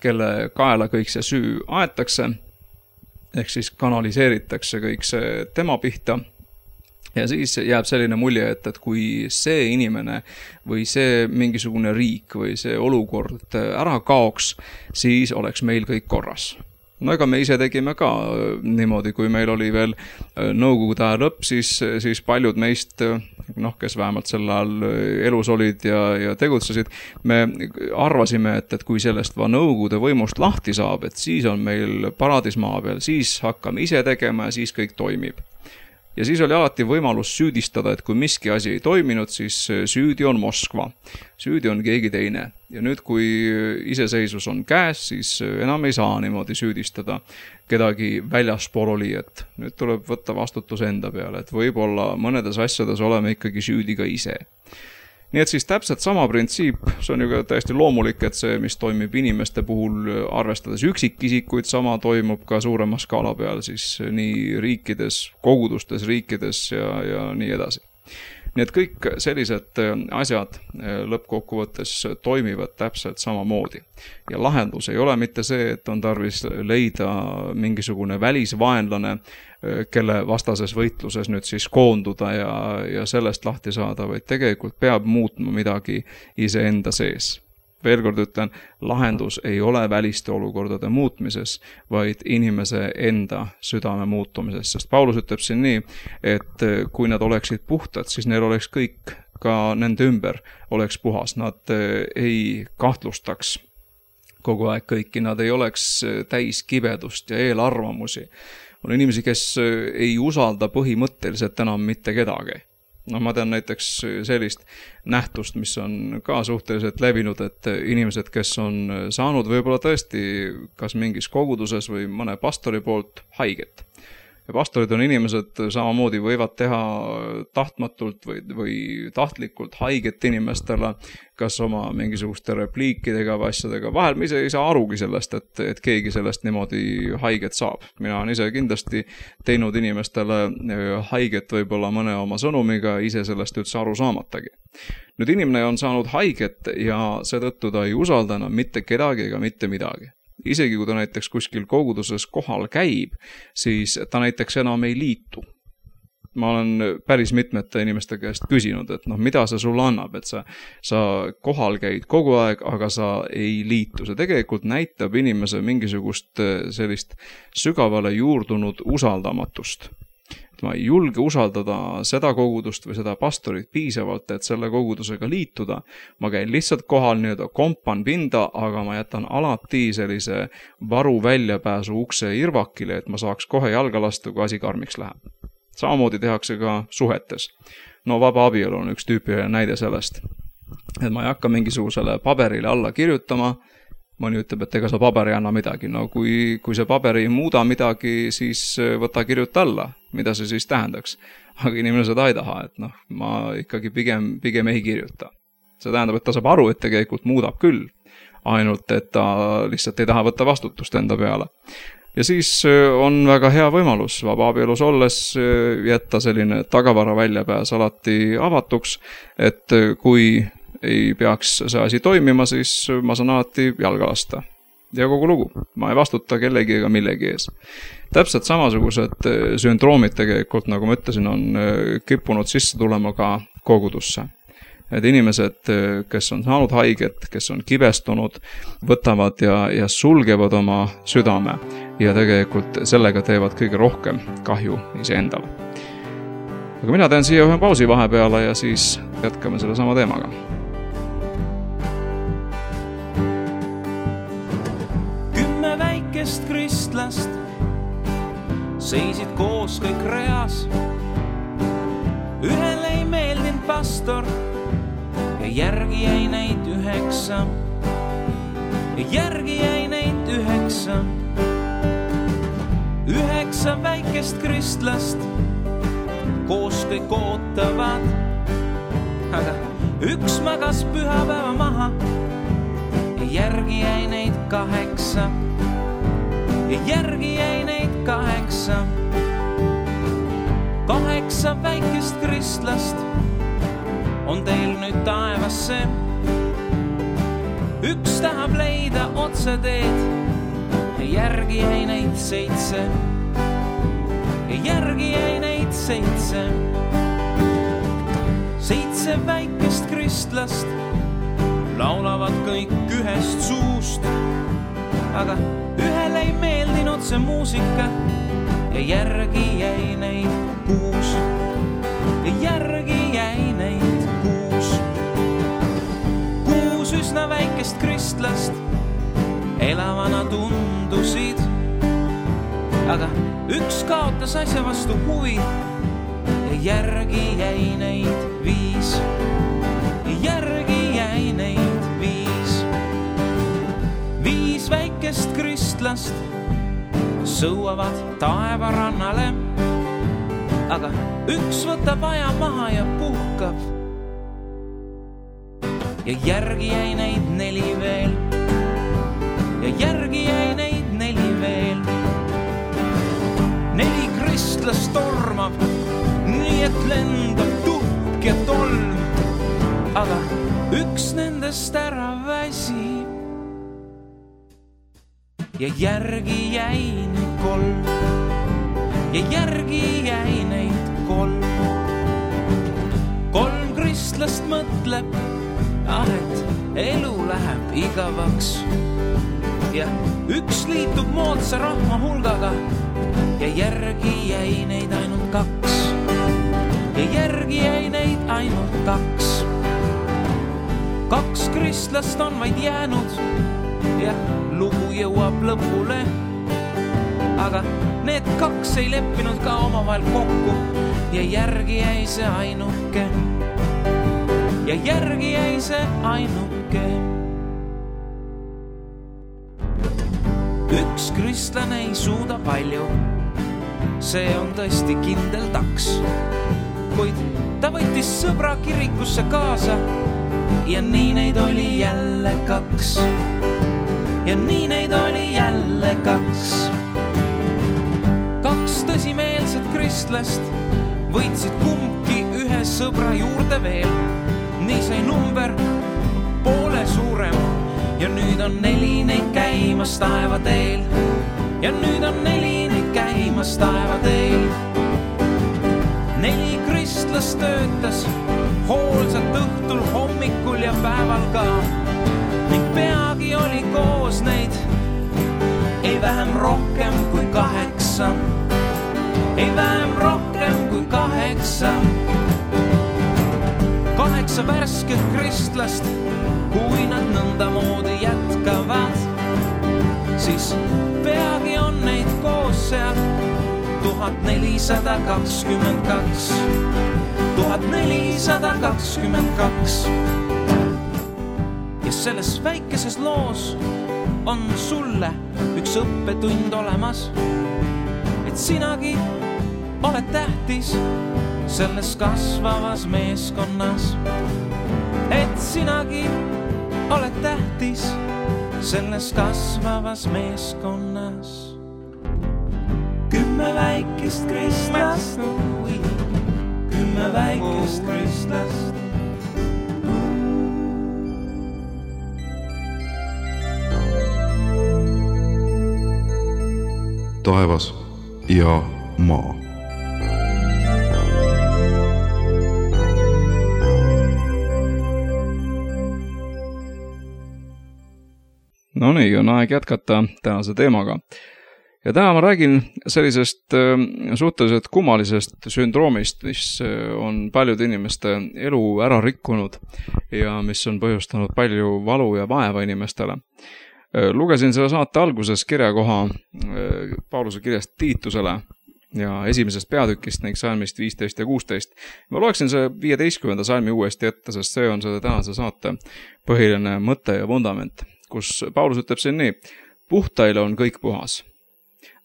kelle kaela kõik see süü aetakse, ehk siis kanaliseeritakse kõik see tema pihta. Ja siis jääb selline mulje, et, et kui see inimene või see mingisugune riik või see olukord ära kaoks, siis oleks meil kõik korras. no ega me ise tegime ka niimoodi, kui meil oli veel nõukogude aja lõpp, siis, siis paljud meist, noh, kes vähemalt sel ajal elus olid ja, ja tegutsesid, me arvasime, et, et kui sellest va nõukogude võimust lahti saab, et siis on meil paradis maa peal, siis hakkame ise tegema ja siis kõik toimib. Ja siis oli alati võimalus süüdistada, et kui miski asi ei toiminud, siis süüdi on Moskva. Süüdi on keegi teine. Ja nüüd, kui iseseisvus on käes, siis enam ei saa niimoodi süüdistada kedagi väljaspool oli, et nüüd tuleb võtta vastutus enda peale, et võib-olla mõnedes asjades oleme ikkagi süüdi ka ise. Nii et siis täpselt sama printsiip, see on ju ka täiesti loomulik, et see, mis toimib inimeste puhul arvestades üksikisikuid, sama toimub ka suurema skaala peal siis nii riikides, kogudustes, riikides ja, ja nii edasi. Nii et kõik sellised asjad lõppkokkuvõttes toimivad täpselt samamoodi. Ja lahendus ei ole mitte see, et on tarvis leida mingisugune välisvaenlane, kelle vastases võitluses nüüd siis koonduda ja, ja sellest lahti saada, vaid tegelikult peab muutma midagi iseenda sees. Veel kord ütlen, lahendus ei ole väliste olukordade muutmises, vaid inimese enda südame muutumises. Sest Paulus ütleb siin nii, et kui nad oleksid puhtad, siis neil oleks kõik, ka nende ümber oleks puhas. Nad ei kahtlustaks kogu aeg kõiki, nad ei oleks täis kibedust ja eelarvamusi. On inimesi, kes ei usalda põhimõtteliselt enam mitte kedagi. No ma tean näiteks sellist nähtust, mis on ka suhteliselt levinud, et inimesed, kes on saanud võib-olla tõesti kas mingis koguduses või mõne pastori poolt haiget. Ja pastorid on inimesed, samamoodi võivad teha tahtmatult või, või tahtlikult haiget inimestele, kas oma mingisuguste repliikidega või asjadega. Vahel me ise ei saa arugi sellest, et, et keegi sellest niimoodi haiget saab. Mina on ise kindlasti teinud inimestele haiget võib-olla mõne oma sõnumiga, ise sellest üldse aru saamatagi. Nüüd inimene on saanud haiget ja seetõttu ta ei usalda enam mitte kedagi ega mitte midagi. Isegi kui ta näiteks kuskil koguduses kohal käib, siis ta näiteks enam ei liitu. Ma olen päris mitmete inimeste käest küsinud, et noh, mida see sulle annab, et sa, sa kohal käid kogu aeg, aga sa ei liitu. See tegelikult näitab inimese mingisugust sellist sügavale juurdunud usaldamatust. Ma ei julge usaldada seda kogudust või seda pastorit piisavalt, et selle kogudusega liituda. Ma käin lihtsalt kohal nii-öelda kompan pinda, aga ma jätan alati sellise varu väljapääsu ukse irvakile, et ma saaks kohe jalga lasta, kui asi karmiks läheb. Samamoodi tehakse ka suhetes. No vaba abielu on üks tüüpiline näide sellest. Et ma ei hakka mingisugusele paberile alla kirjutama, mõni ütleb, et ega see paber ei anna midagi. No kui, kui see paber ei muuda midagi, siis võta kirjuta alla. Mida see siis tähendaks? Aga inimene seda ei taha, et noh, ma ikkagi pigem, pigem ei kirjuta. See tähendab, et ta saab aru, et tegelikult muudab küll. Ainult, et ta lihtsalt ei taha võtta vastutust enda peale. Ja siis on väga hea võimalus vaba abielus olles jätta selline tagavara väljapääs alati avatuks, et kui ei peaks see asi toimima, siis ma saan alati jalga lasta. Ja kogu lugu. Ma ei vastuta kellegi ega millegi ees. Täpselt samasugused sündroomid tegelikult, nagu ma ütlesin, on kippunud sisse tulema ka kogudusse. Et inimesed, kes on saanud haiget, kes on kibestunud, võtavad ja, ja sulgevad oma südame ja tegelikult sellega teevad kõige rohkem kahju iseendale. Aga mina teen siia ühe pausi vahepeale ja siis jätkame selle sama teemaga.
Väikest kristlast seisid koos kõik reas. Ühele ei meeldinud pastor ja järgi jäi neid üheksa. Ja järgi jäi neid üheksa. Üheksa väikest kristlast koos kõik ootavad. Aga üks magas pühapäeva maha ja järgi jäi neid kaheksa. Ja järgi jäi neid kaheksa. Kaheksa väikest kristlast on teil nüüd taevasse. Üks tahab leida otse teed ja järgi jäi neid seitse. Ja järgi jäi neid seitse. Seitse väikest kristlast laulavad kõik ühest suust. aga ühele ei meeldinud see muusika ja järgi jäi neid kuus. Ja järgi jäi neid kuus. Kuus üsna väikest kristlast elavana tundusid, aga üks kaotas asja vastu huvi ja järgi jäi neid viis. Ja järgi jäi neid viis. Viis väikest kristlast sõuavad taevarannale, aga üks võtab aja maha ja puhkab. Ja järgi jäi neid neli veel. Ja järgi jäi neid neli veel. Neli kristlast tormab, nii et lendab tuhk ja tolm, aga üks nendest ära väsib. Ja järgi jäi neid kolm. Ja järgi jäi neid kolm. Kolm kristlast mõtleb, ah, et elu läheb igavaks. Ja üks liitub moodsa rahva hulgaga ja järgi jäi neid ainult kaks. Ja järgi jäi neid ainult kaks. Kaks kristlast on vaid jäänud ja lugu jõuab lõpule, aga need kaks ei leppinud ka omavahel kokku ja järgi jäi see ainuke. Ja järgi jäi see ainuke. Üks kristlane ei suuda palju, see on tõesti kindel taks, kuid ta võttis sõbra kirikusse kaasa ja nii neid oli jälle kaks. Ja nii neid oli jälle kaks. Kaks tõsimeelset kristlast võitsid kumbki ühe sõbra juurde veel. Nii sai number poole suurem ja nüüd on neli neid käimas taeva teel. Ja nüüd on neli neid käimas taeva teel. Neli kristlast töötas hoolsalt õhtul, hommikul ja päeval ka. Ning peagi oli koos neid ei vähem rohkem kui kaheksa. Ei vähem rohkem kui kaheksa. Kaheksa värsket kristlast, kui nad nõnda moodi jätkavad, siis peagi on neid koos seal tuhat nelisada kakskümmend kaks. Tuhat nelisada kakskümmend kaks. Ja selles väikeses loos on sulle üks õppetund olemas, et sinagi oled tähtis selles kasvavas meeskonnas. Et sinagi oled tähtis selles kasvavas meeskonnas. Kümme väikest kristlast, kümme väikest kristlast.
Taevas ja maa.
No nii, on aeg jätkata tänase teemaga. Ja täna ma räägin sellisest suhteliselt kummalisest sündroomist, mis on paljude inimeste elu ära rikkunud ja mis on põhjustanud palju valu ja vaeva inimestele. Lugesin selle saate alguses kirjakoha Pauluse kirjast Tiitusele ja esimesest peatükist ning salmist viisteist ja kuusteist. Ma loeksin see viieteistkümnenda salmi uuesti ette, sest see on selle tänase saate põhiline mõte ja vundament, kus Paulus ütleb siin nii: puhtaile on kõik puhas,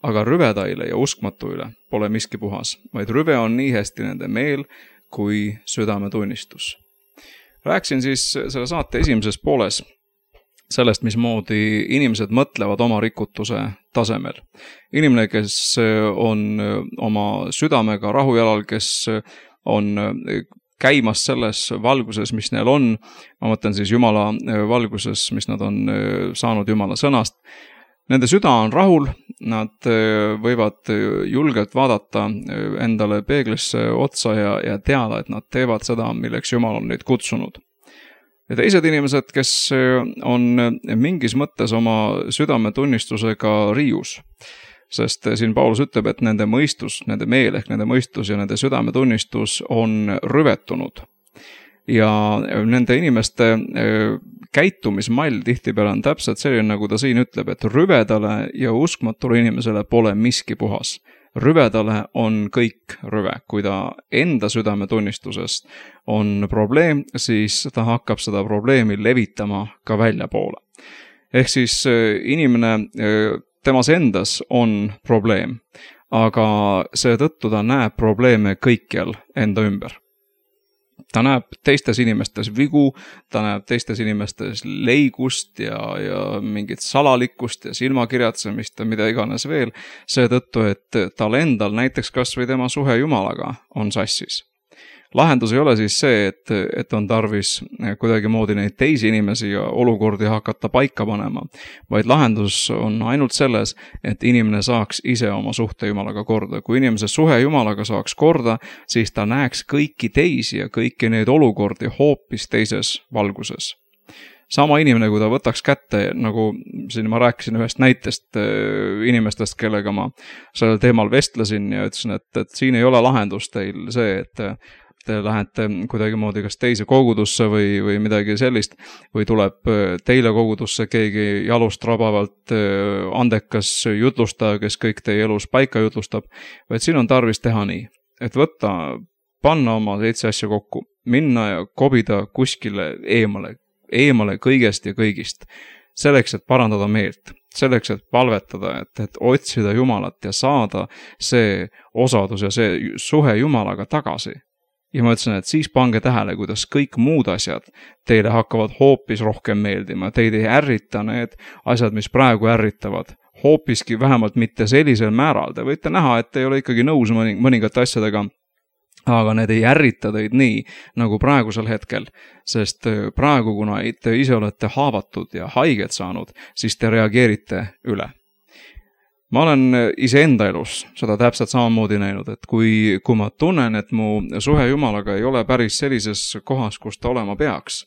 aga rüvedaile ja uskmatuile pole miski puhas, vaid rüve on nii hästi nende meel kui südametunnistus. Rääksin siis selle saate esimeses pooles sellest, mismoodi inimesed mõtlevad oma rikutuse tasemel. Inimene, kes on oma südamega rahujalal, kes on käimas selles valguses, mis neil on, ma mõtlen siis Jumala valguses, mis nad on saanud Jumala sõnast. Nende süda on rahul, nad võivad julgelt vaadata endale peeglisse otsa ja, ja teada, et nad teevad seda, milleks Jumal on neid kutsunud. ja teised inimesed, kes on mingis mõttes oma südametunnistusega riius. Sest siin Paulus ütleb, et nende mõistus, nende meel ehk nende mõistus ja nende südametunnistus on rüvetunud. Ja nende inimeste käitumismall tihtipeale on täpselt selline, nagu ta siin ütleb, et rüvedale ja uskmatule inimesele pole miski puhas. Rüvedale on kõik rüve. Kui ta enda südametunnistusest on probleem, siis ta hakkab seda probleemi levitama ka välja poole. Ehk siis inimene temas endas on probleem, aga seetõttu ta näeb probleeme kõikjal enda ümber. Ta näeb teistes inimestes vigu, ta näeb teistes inimestes leigust ja, ja mingit salalikkust ja silmakirjatsemist ja mida iganes veel, seetõttu, et tal endal näiteks kas või tema suhe Jumalaga on sassis. Lahendus ei ole siis see, et, et on tarvis kuidagi moodi neid teisi inimesi ja olukordi hakata paika panema, vaid lahendus on ainult selles, et inimene saaks ise oma suhte Jumalaga korda. Kui inimese suhe Jumalaga saaks korda, siis ta näeks kõiki teisi ja kõiki neid olukordi hoopis teises valguses. Sama inimene, kui ta võtaks kätte, nagu siin ma rääkisin ühest näitest inimestest, kellega ma sellel teemal vestlesin ja ütlesin, et, et siin ei ole lahendus teil see, et te lähete kuidagi moodi kas teise kogudusse või, või midagi sellist, või tuleb teile kogudusse keegi jalust rabavalt andekas jutlustaja, kes kõik teie elus paika jutlustab, vaid siin on tarvis teha nii, et võtta, panna oma seitse asja kokku, minna ja kobida kuskile eemale, eemale kõigest ja kõigist, selleks, et parandada meelt, selleks, et palvetada, et, et otsida Jumalat ja saada see osadus ja see suhe Jumalaga tagasi. Ja ma ütlesin, et siis pange tähele, kuidas kõik muud asjad teile hakkavad hoopis rohkem meeldima. Teid ei ärrita need asjad, mis praegu ärritavad. Hoopiski vähemalt mitte sellisel määral. Te võite näha, et te ei ole ikkagi nõus mõningate asjadega, aga need ei ärrita teid nii, nagu praegusel hetkel. Sest praegu, kuna te ise olete haavatud ja haiget saanud, siis te reageerite üle. Ma olen iseenda elus seda täpselt samamoodi näinud, et kui, kui ma tunnen, et mu suhe Jumalaga ei ole päris sellises kohas, kus ta olema peaks,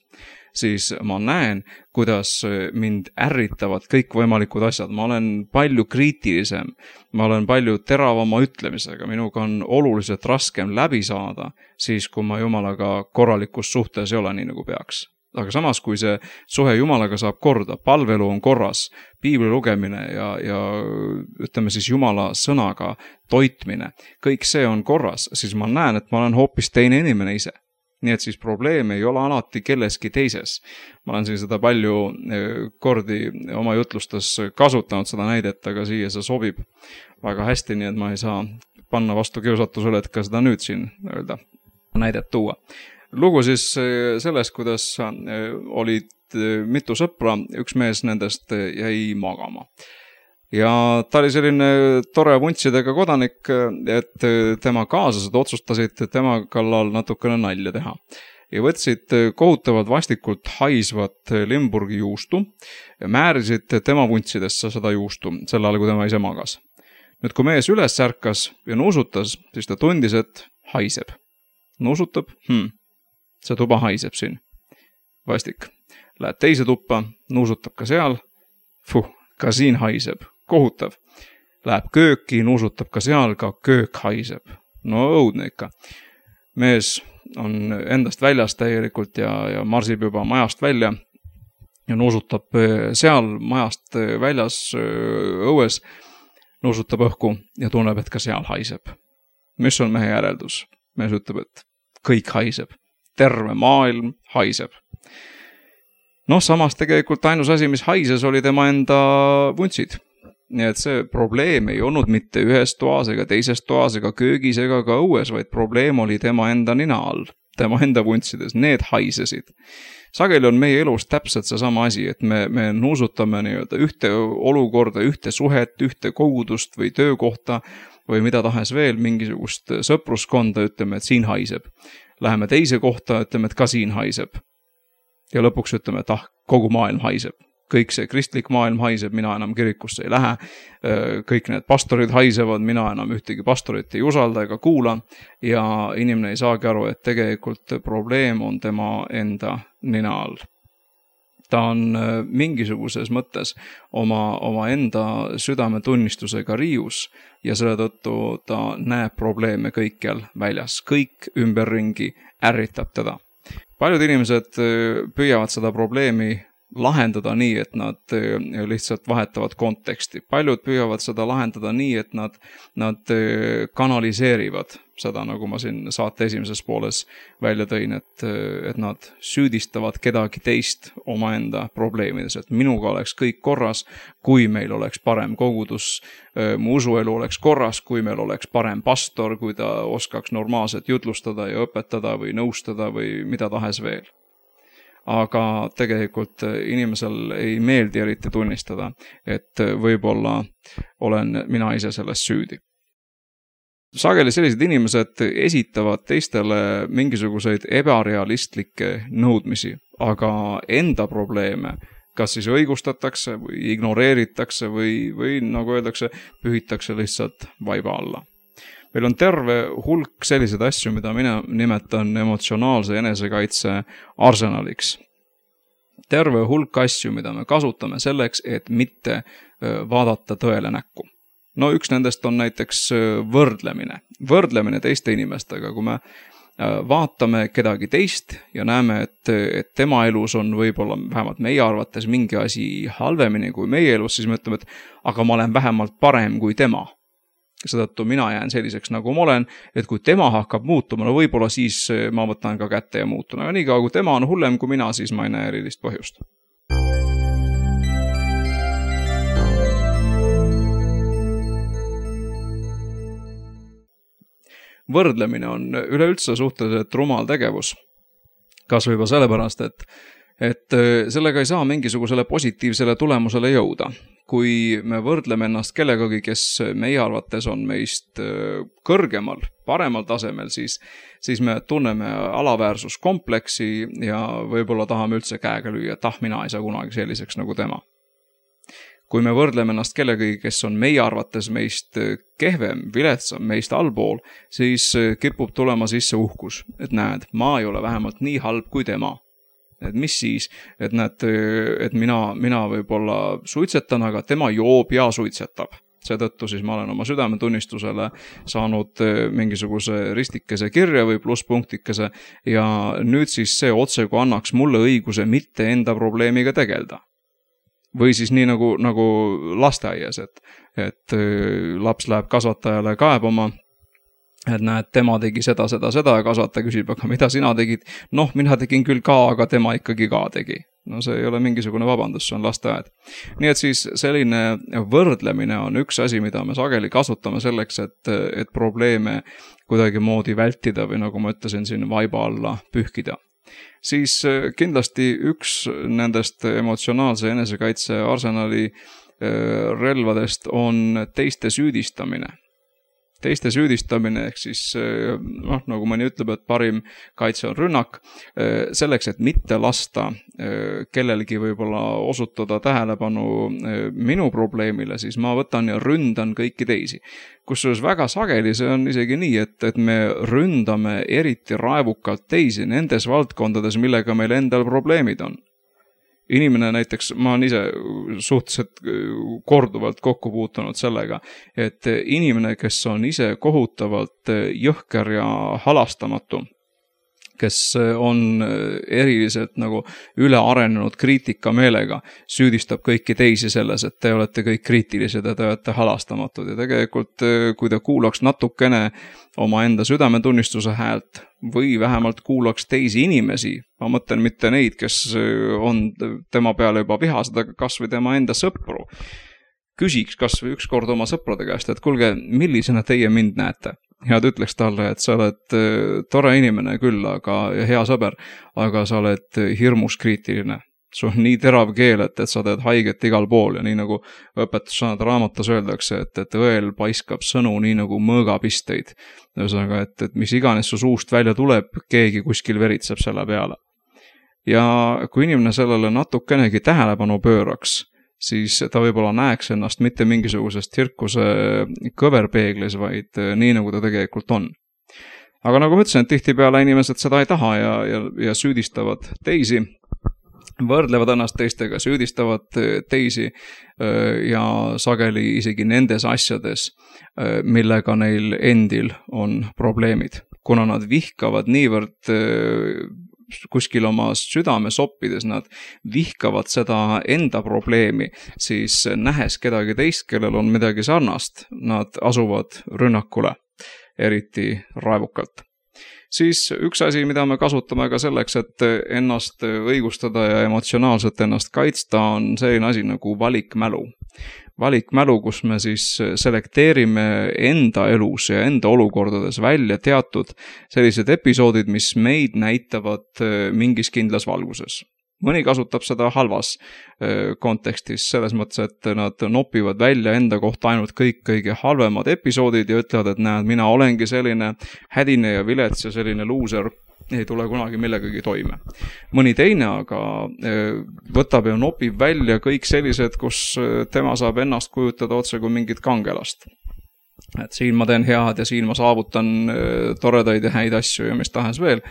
siis ma näen, kuidas mind ärritavad kõik võimalikud asjad. Ma olen palju kriitilisem, ma olen palju teravama ütlemisega, minuga on oluliselt raskem läbi saada, siis kui ma Jumalaga korralikus suhtes ei ole nii nagu peaks. Aga samas, kui see suhe Jumalaga saab korda, palvelu on korras, piibli lugemine ja, ja ütleme siis Jumala sõnaga toitmine, kõik see on korras, siis ma näen, et ma olen hoopis teine inimene ise. Nii et siis probleem ei ole alati kelleski teises. Ma olen siin seda palju kordi oma jutlustes kasutanud seda näidet, aga siia see sobib väga hästi, nii et ma ei saa panna vastu kiusatusele, et ka seda nüüd siin öelda, näidet tuua. Lugu siis sellest, kuidas olid mitu sõpra, üks mees nendest jäi magama. Ja ta oli selline tore vuntsidega kodanik, et tema kaaslased otsustasid tema kallal natukene nalja teha. Ja võtsid kohutavad vastikult haisvat Limburgi juustu ja määrisid tema vuntsidesse seda juustu, sel ajal, kui tema ise magas. Nüüd, kui mees üles särkas ja nuusutas, siis ta tundis, et haiseb. Nuusutab, hmm. See tuba haiseb siin. Vastik. Läheb teise tuppa, nuusutab ka seal. Fuh, ka siin haiseb. Kohutav. Läheb kööki, nuusutab ka seal, ka köök haiseb. No õudne ikka. Mees on endast väljas täielikult ja, ja marsib juba majast välja ja nuusutab seal majast väljas õues, nuusutab õhku ja tunneb, et ka seal haiseb. Mis on mehe järeldus? Mees ütleb, et kõik haiseb. Terve maailm haiseb. Noh, samas tegelikult ainus asi, mis haises, oli tema enda vuntsid. Nii et see probleem ei olnud mitte ühes toas ega teises toas ega köögis ega ka õues, vaid probleem oli tema enda nina all, tema enda vuntsides. Need haisesid. Sageli on meie elus täpselt see sama asi, et me, me nuusutame nii-öelda ühte olukorda, ühte suhet, ühte kogudust või töökohta või mida tahes veel, mingisugust sõpruskonda, ütleme, et siin haiseb. Läheme teise kohta, ütleme, et ka siin haiseb. Ja lõpuks ütleme, et ah, kogu maailm haiseb. kõik see kristlik maailm haiseb, mina enam kirikusse ei lähe, kõik need pastorid haisevad, mina enam ühtegi pastorit ei usalda ega kuula ja inimene ei saagi aru, et tegelikult probleem on tema enda nina all. Ta on mingisuguses mõttes oma, oma enda südametunnistusega riius ja selle tõttu ta näeb probleeme kõikjal väljas. Kõik ümberringi ärritab teda. Paljud inimesed püüavad seda probleemi lahendada nii, et nad lihtsalt vahetavad konteksti. Paljud püüavad seda lahendada nii, et nad, nad kanaliseerivad seda, nagu ma siin saate esimeses pooles välja tõin, et, et nad süüdistavad kedagi teist omaenda probleemides, et minuga oleks kõik korras, kui meil oleks parem kogudus, mu usuelu oleks korras, kui meil oleks parem pastor, kui ta oskaks normaalselt jutlustada ja õpetada või nõustada või mida tahes veel. Aga tegelikult inimesel ei meeldi eriti tunnistada, et võib-olla olen mina ise sellest süüdi. Sageli sellised inimesed esitavad teistele mingisuguseid ebarealistlikke nõudmisi, aga enda probleeme kas siis õigustatakse või ignoreeritakse või, või nagu öeldakse, pühitakse lihtsalt vaiba alla. Meil on terve hulk selliseid asju, mida mina nimetan emotsionaalse enesekaitse arsenaliks. Terve hulk asju, mida me kasutame selleks, et mitte vaadata tõele näkku. No üks nendest on näiteks võrdlemine. Võrdlemine teiste inimestega, kui me vaatame kedagi teist ja näeme, et, et tema elus on võib-olla vähemalt meie arvates mingi asi halvemini kui meie elus, siis me ütleme, et aga ma olen vähemalt parem kui tema. Sedattu mina jään selliseks nagu ma olen, et kui tema hakkab muutuma, no võib-olla siis ma võtan ka kätte ja muutun. Aga nii kaua, kui tema on hullem kui mina, siis ma ei näe erilist põhjust. Võrdlemine on üleüldse suhteliselt rumal tegevus. Kas võib sellepärast, et, et sellega ei saa mingisugusele positiivsele tulemusele jõuda. Kui me võrdleme ennast kellegagi, kes meie arvates on meist kõrgemal, paremal tasemel, siis, siis me tunneme alaväärsuskompleksi ja võib-olla tahame üldse käega lüüa, et ah, mina ei saa kunagi selliseks nagu tema. Kui me võrdleme ennast kellegagi, kes on meie arvates meist kehvem, viletsam, meist allpool, siis kipub tulema sisse uhkus, et näed, ma ei ole vähemalt nii halb kui tema. Et mis siis, et näed, et mina, mina võib-olla suitsetan, aga tema joob ja suitsetab. Seetõttu siis ma olen oma südametunnistusele saanud mingisuguse ristikese kirja või plusspunktikese ja nüüd siis see otsegu annaks mulle õiguse mitte enda probleemiga tegelda. Või siis nii nagu, nagu lasteaias, et, et laps läheb kasvatajale kaebama, et näed, tema tegi seda, seda, seda ja kasvataja küsib, aga mida sina tegid? Noh, mina tegin küll ka, aga tema ikkagi ka tegi. No see ei ole mingisugune vabandus, see on lasteaed. Nii et siis selline võrdlemine on üks asi, mida me sageli kasutame selleks, et, et probleeme kuidagi moodi vältida või nagu ma ütlesin siin vaiba alla pühkida. Siis kindlasti üks nendest emotsionaalse enesekaitse arsenali relvadest on teiste süüdistamine. Teiste süüdistamine ehk siis, noh, nagu mõni ütleb, et parim kaitse on rünnak, selleks, et mitte lasta kellelgi võib-olla osutada tähelepanu minu probleemile, siis ma võtan ja ründan kõiki teisi. Kusjuures väga sageli see on isegi nii, et, et me ründame eriti raevukalt teisi nendes valdkondades, millega meil endal probleemid on. Inimene näiteks, ma olen ise suhteliselt korduvalt kokku puutunud sellega, et inimene, kes on ise kohutavalt jõhker ja halastamatu, kes on eriliselt nagu ülearenenud kriitikameelega, süüdistab kõiki teisi selles, et te olete kõik kriitilised ja te olete halastamatud. Ja tegelikult, kui te kuulaks natukene omaenda südametunnistuse häält või vähemalt kuulaks teisi inimesi, ma mõtlen mitte neid, kes on tema peale juba vihased, aga kas või tema enda sõpru, küsiks kas või ükskord oma sõprade käest, et kuulge, millisena teie mind näete? Ja ta ütleks talle, et sa oled tore inimene küll, aga, ja hea sõber, aga sa oled hirmus kriitiline. Sul on nii terav keel, et, et sa teed haiget igal pool ja nii nagu õpetussõnad raamatus öeldakse, et, et õel paiskab sõnu nii nagu mõõgapisteid. Ühesõnaga, et, et mis iganes su suust välja tuleb, keegi kuskil veritseb selle peale. ja kui inimene sellele natukenegi tähelepanu pööraks, siis ta võib-olla näeks ennast mitte mingisugusest tsirkuse kõverpeeglis, vaid nii, nagu ta tegelikult on. Aga nagu ma ütlesin, et tihtipeale inimesed seda ei taha ja, ja, ja süüdistavad teisi, võrdlevad ennast teistega, süüdistavad teisi ja sageli isegi nendes asjades, millega neil endil on probleemid. Kuna nad vihkavad niivõrd kuskil oma südame soppides, nad vihkavad seda enda probleemi, siis nähes kedagi teist, kellel on midagi sarnast, nad asuvad rünnakule, eriti raevukalt. Siis üks asi, mida me kasutame ka selleks, et ennast õigustada ja emotsionaalselt ennast kaitsta, on selline asi nagu valikmälu. Valikmälu, kus me siis selekteerime enda elus ja enda olukordades välja teatud sellised episoodid, mis meid näitavad mingis kindlas valguses. Mõni kasutab seda halvas kontekstis, selles mõttes, et nad nopivad välja enda kohta ainult kõik kõige halvemad episoodid ja ütlevad, et näed, mina olengi selline hädine ja vilets ja selline luuser, ei tule kunagi millegagi toime. Mõni teine aga võtab ja nopib välja kõik sellised, kus tema saab ennast kujutada otse kui mingit kangelast. Et siin ma teen head ja siin ma saavutan toredaid ja häid asju ja mis tahes veel.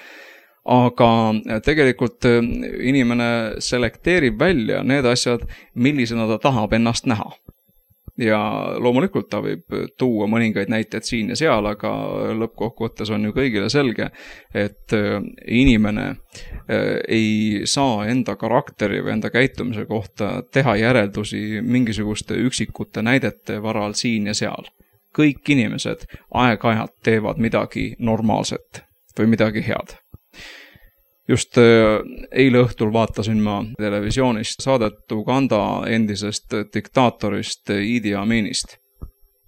Aga tegelikult inimene selekteerib välja need asjad, millisena ta tahab ennast näha. Ja loomulikult ta võib tuua mõningaid näiteid siin ja seal, aga lõppkokkuvõttes on ju kõigile selge, et inimene ei saa enda karakteri või enda käitumise kohta teha järeldusi mingisuguste üksikute näidete varal siin ja seal. Kõik inimesed aeg-ajalt teevad midagi normaalset või midagi head. Just eile õhtul vaatasin ma televisioonist saadet Uganda endisest diktaatorist Idi Aminist.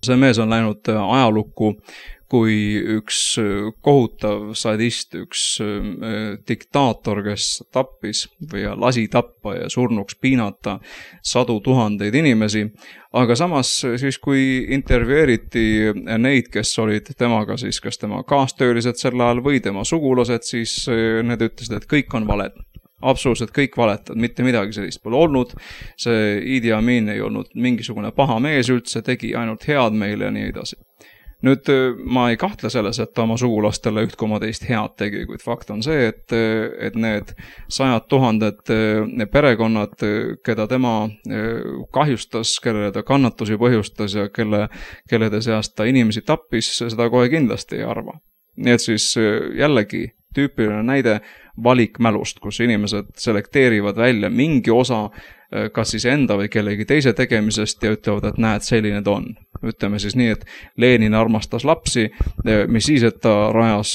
See mees on läinud ajalukku kui üks kohutav sadist, üks diktaator, kes tappis või lasi tappa ja surnuks piinata sadu tuhandeid inimesi. Aga samas siis, kui intervjueeriti neid, kes olid temaga, siis kas tema kaastöölised sel ajal või tema sugulased, siis need ütlesid, et kõik on valed. Absoluutselt kõik valetad, mitte midagi sellist pole olnud. See Idi Amin ei olnud mingisugune paha mees üldse, tegi ainult head meile ja nii edasi. Nüüd ma ei kahtle selles, et ta oma sugulastele üht koma teist head tegi, kuid fakt on see, et, et need sajad tuhanded perekonnad, keda tema kahjustas, kellele ta kannatusi põhjustas ja kelle, kellede seast ta inimesi tappis, seda kohe kindlasti ei arva. Nii et siis jällegi tüüpiline näide valikmälust, kus inimesed selekteerivad välja mingi osa kas siis enda või kellegi teise tegemisest ja ütlevad, et näed, selline ta on. Ütleme siis nii, et Lenin armastas lapsi, mis siis, et ta rajas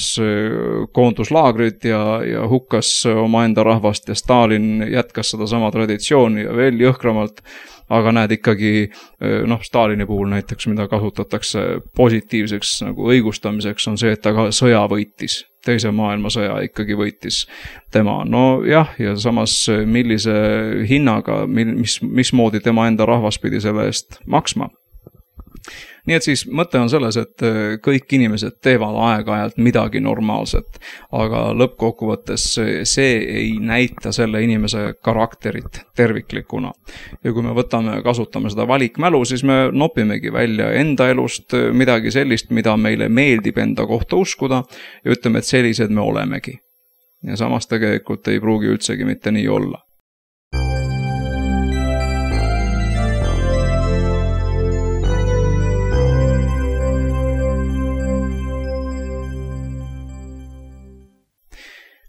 koonduslaagrid ja, ja hukkas oma enda rahvast ja Stalin jätkas seda sama traditsiooni ja veel jõhkramalt, aga näed ikkagi, noh, Stalini puhul näiteks, mida kasutatakse positiivseks nagu õigustamiseks, on see, et ta ka sõja võitis. Teise maailmasõja ikkagi võitis tema. No jah, ja samas millise hinnaga, mis, mismoodi tema enda rahvas pidi selle eest maksma. Nii et siis mõte on selles, et kõik inimesed teevad aeg-ajalt midagi normaalset, aga lõppkokkuvõttes see ei näita selle inimese karakterit terviklikuna. Ja kui me võtame, kasutame seda valikmälu, siis me nopimegi välja enda elust midagi sellist, mida meile meeldib enda kohta uskuda ja ütleme, et sellised me olemegi. Ja samas tegelikult ei pruugi üldsegi mitte nii olla.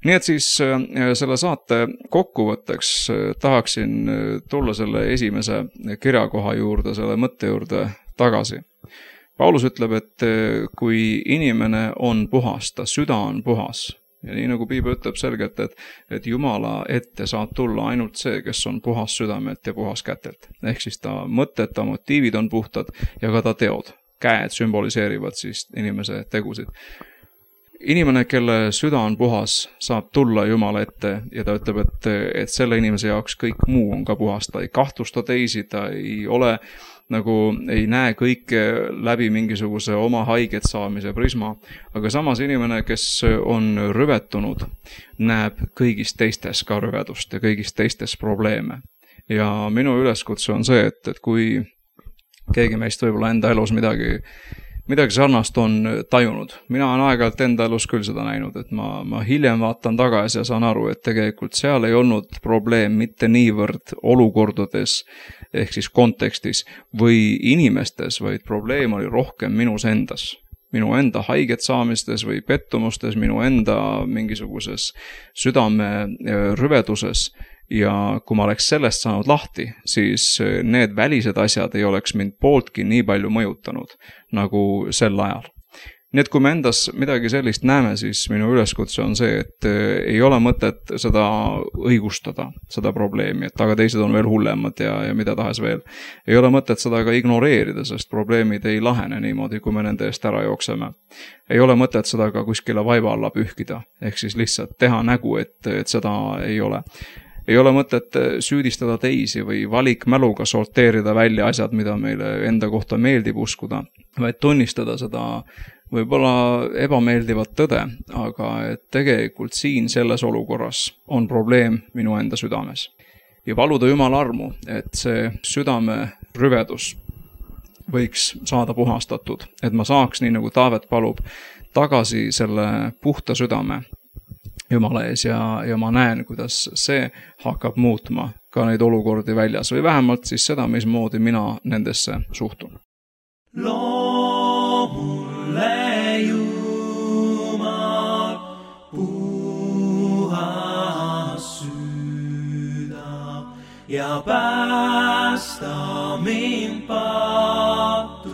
Nii et siis selle saate kokkuvõtteks tahaksin tulla selle esimese kirjakoha juurde, selle mõtte juurde tagasi. Paulus ütleb, et kui inimene on puhas, ta süda on puhas. Ja nii nagu Piibel ütleb selgelt, et, et Jumala ette saab tulla ainult see, kes on puhas südamelt ja puhas kätelt. Ehk siis ta mõtted, ta motiivid on puhtad ja ka ta teod. Käed sümboliseerivad siis inimese tegusid. Inimene, kelle süda on puhas, saab tulla Jumala ette ja ta ütleb, et, et selle inimese jaoks kõik muu on ka puhas. Ta ei kahtlusta teisi, ta ei ole nagu ei näe kõike läbi mingisuguse oma haiget saamise prisma, aga samas inimene, kes on rüvetunud, näeb kõigist teistes ka rüvedust ja kõigist teistes probleeme. Ja minu üleskutse on see, et, et kui keegi meist võib-olla enda elus midagi midagi sarnast on tajunud. Mina olen aeg-ajalt enda elus küll seda näinud, et ma, ma hiljem vaatan tagasi ja saan aru, et tegelikult seal ei olnud probleem mitte niivõrd olukordades ehk siis kontekstis või inimestes, vaid probleem oli rohkem minus endas. Minu enda haiget saamistes või pettumustes, minu enda mingisuguses südame rüveduses. Ja kui ma oleks sellest saanud lahti, siis need välised asjad ei oleks mind pooltki nii palju mõjutanud nagu sel ajal. Nii et kui me endas midagi sellist näeme, siis minu üleskutse on see, et ei ole mõtet seda õigustada, seda probleemi, et aga teised on veel hullemad ja, ja mida tahes veel. Ei ole mõtet seda ka ignoreerida, sest probleemid ei lahene niimoodi, kui me nende eest ära jookseme. Ei ole mõtet seda ka kuskile vaiba alla pühkida, ehk siis lihtsalt teha nägu, et, et seda ei ole. Ei ole mõtet süüdistada teisi või valikmäluga sorteerida välja asjad, mida meile enda kohta meeldib uskuda, vaid tunnistada seda võib-olla ebameeldivat tõde, aga et tegelikult siin selles olukorras on probleem minu enda südames. Ja paluda Jumala armu, et see südame rüvedus võiks saada puhastatud, et ma saaks, nii nagu Taavet palub, tagasi selle puhta südame Jumala ees ja, ja ma näen, kuidas see hakkab muutma ka neid olukordi väljas või vähemalt siis seda, mismoodi mina nendesse suhtun.
Loo mulle Jumal puhas süda ja päästa mind pattudesse.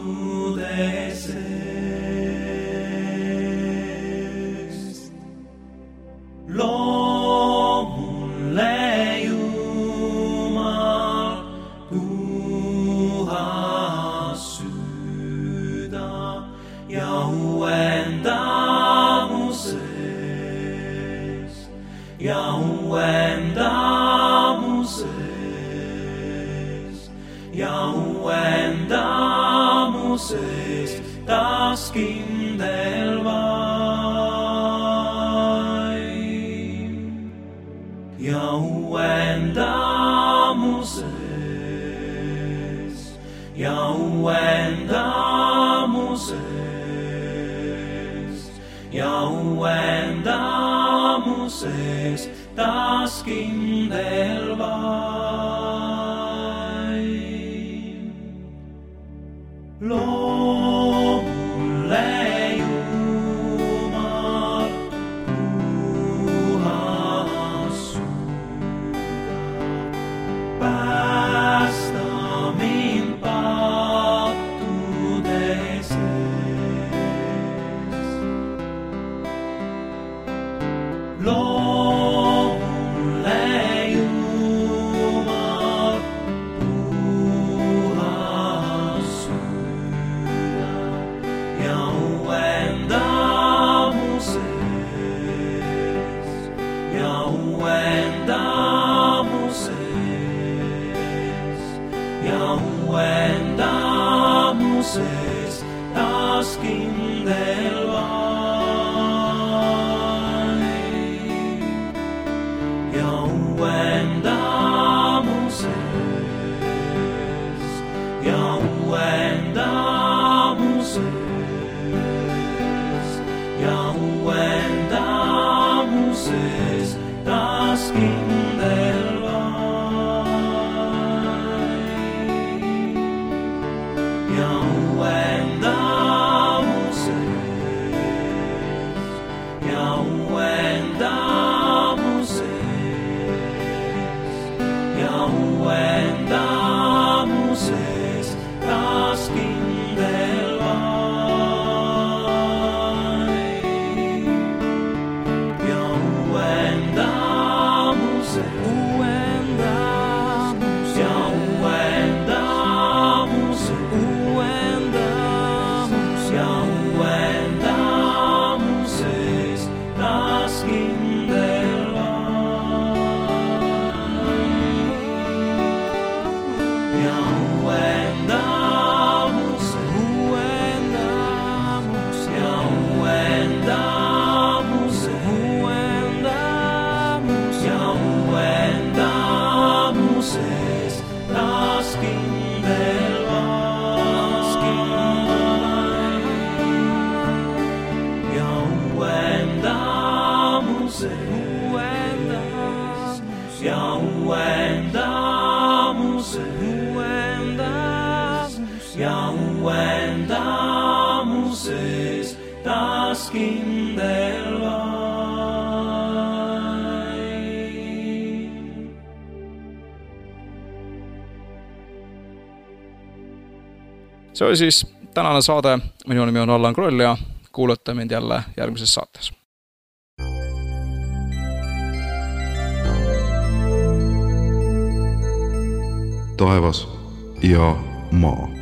Loo mulle Jumal puhas süda ja uuenda mu sees, ja uuenda mu sees, ja uuenda mu sees taas kindel vaim. Ja uuenda mu sees, ja uuenda mu sees, ja uuenda mu sees taas kindel vaim. Loo mulle taas kindel vaim. Ja uuenda mu sees, ja uuenda mu sees, ja uuenda mu sees taas kindel vaim. Ja uuenda mu sees, ja uuenda mu sees, ja uuenda mu sees taas kindel vaim. Ja uuenda mu sees, uuenda mu sees, ja uuenda mu sees, uuenda mu sees, ja uuenda mu sees taas kindel vaim. Ja uuenda uuendamus ja uuendamus, uuendamus ja uuendamuses taas kindel vaid.
See oli siis tänane saade. Minu nimi on Allan Kroll ja kuulate mind jälle järgmises saates.
Taevas ja maa.